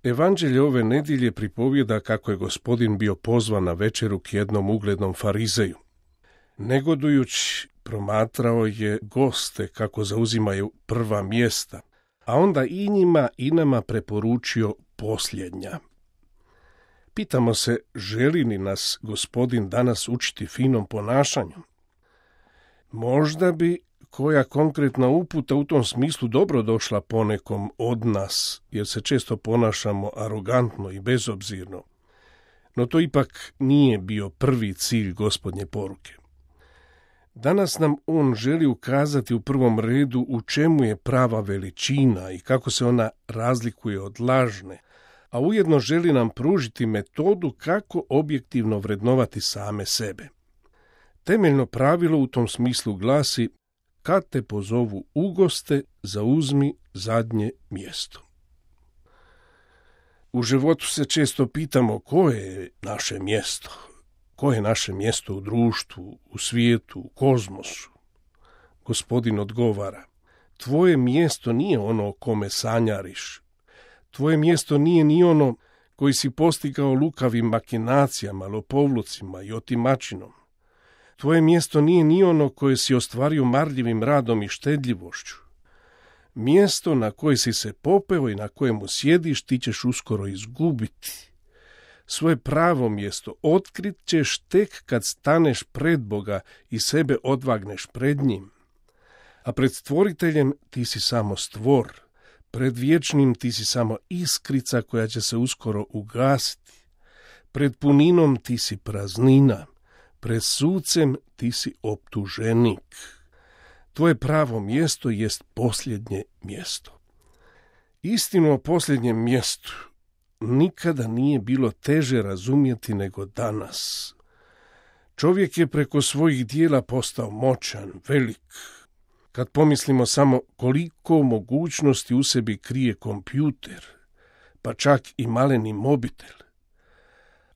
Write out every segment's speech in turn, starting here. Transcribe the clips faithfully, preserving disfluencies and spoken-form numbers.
Evanđelje ove nedjelje pripovijeda kako je Gospodin bio pozvan na večeru k jednom uglednom farizeju. Negodujući promatrao je goste kako zauzimaju prva mjesta, a onda i njima i nama preporučio posljednja. Pitamo se, želi li nas Gospodin danas učiti finom ponašanju? Možda bi koja konkretna uputa u tom smislu dobro došla ponekom od nas, jer se često ponašamo arogantno i bezobzirno. No to ipak nije bio prvi cilj Gospodnje poruke. Danas nam on želi ukazati u prvom redu u čemu je prava veličina i kako se ona razlikuje od lažne, a ujedno želi nam pružiti metodu kako objektivno vrednovati same sebe. Temeljno pravilo u tom smislu glasi: kad te pozovu u goste, zauzmi zadnje mjesto. U životu se često pitamo koje je naše mjesto, koje je naše mjesto u društvu, u svijetu, u kozmosu. Gospodin odgovara: tvoje mjesto nije ono o kome sanjariš. Tvoje mjesto nije ni ono koji si postigao lukavim makinacijama, lopovlucima i otimačinom. Tvoje mjesto nije ni ono koje si ostvario marljivim radom i štedljivošću. Mjesto na koje si se popeo i na kojemu sjediš ti ćeš uskoro izgubiti. Svoje pravo mjesto otkrit ćeš tek kad staneš pred Boga i sebe odvagneš pred njim. A pred stvoriteljem ti si samo stvor, pred vječnim ti si samo iskrica koja će se uskoro ugasiti. Pred puninom ti si praznina, pred sucem ti si optuženik. Tvoje pravo mjesto jest posljednje mjesto. Istinu o posljednjem mjestu nikada nije bilo teže razumjeti nego danas. Čovjek je preko svojih dijela postao moćan, velik. Kad pomislimo samo koliko mogućnosti u sebi krije kompjuter, pa čak i maleni mobitel.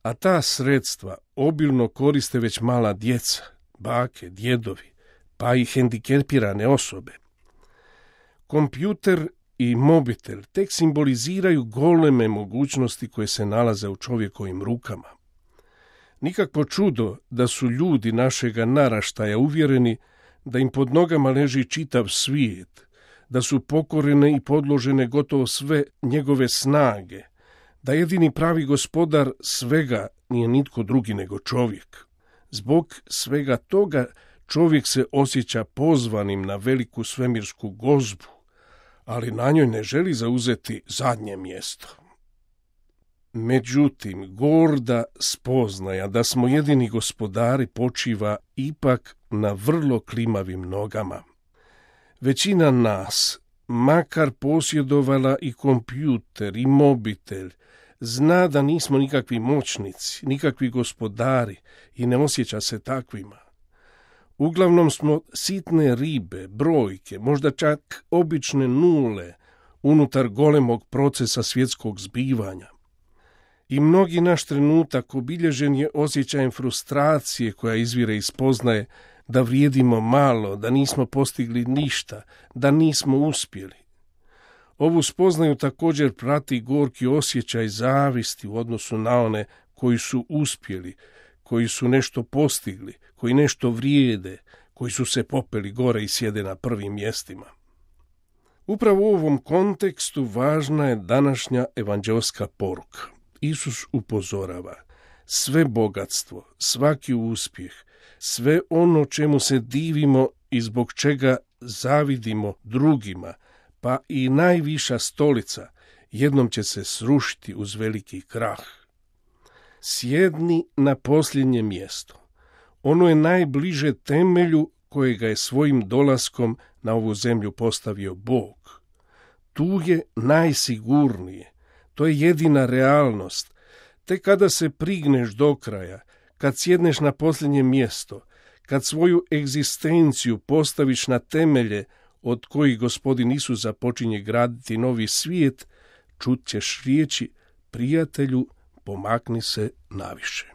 A ta sredstva obilno koriste već mala djeca, bake, djedovi, pa i hendikepirane osobe. Kompjuter i mobitel tek simboliziraju goleme mogućnosti koje se nalaze u čovjekovim rukama. Nikakvo čudo da su ljudi našega naraštaja uvjereni da im pod nogama leži čitav svijet, da su pokorene i podložene gotovo sve njegove snage, da jedini pravi gospodar svega nije nitko drugi nego čovjek. Zbog svega toga čovjek se osjeća pozvanim na veliku svemirsku gozbu, ali na njoj ne želi zauzeti zadnje mjesto. Međutim, gorda spoznaja da smo jedini gospodari počiva ipak na vrlo klimavim nogama. Većina nas, makar posjedovala i kompjuter i mobitel, zna da nismo nikakvi moćnici, nikakvi gospodari i ne osjeća se takvima. Uglavnom smo sitne ribe, brojke, možda čak obične nule unutar golemog procesa svjetskog zbivanja. I mnogi naš trenutak obilježen je osjećajem frustracije koja izvire iz spoznaje da vrijedimo malo, da nismo postigli ništa, da nismo uspjeli. Ovu spoznaju također prati gorki osjećaj zavisti u odnosu na one koji su uspjeli, koji su nešto postigli, koji nešto vrijede, koji su se popeli gore i sjede na prvim mjestima. Upravo u ovom kontekstu važna je današnja evanđelska poruka. Isus upozorava: sve bogatstvo, svaki uspjeh, sve ono čemu se divimo i zbog čega zavidimo drugima, pa i najviša stolica, jednom će se srušiti uz veliki krah. Sjedni na posljednje mjesto. Ono je najbliže temelju kojega je svojim dolaskom na ovu zemlju postavio Bog. Tu je najsigurnije. To je jedina realnost. Te kada se prigneš do kraja, kad sjedneš na posljednje mjesto, kad svoju egzistenciju postaviš na temelje od kojih Gospodin Isus započinje graditi novi svijet, čut ćeš riječi: prijatelju, pomakni se naviše.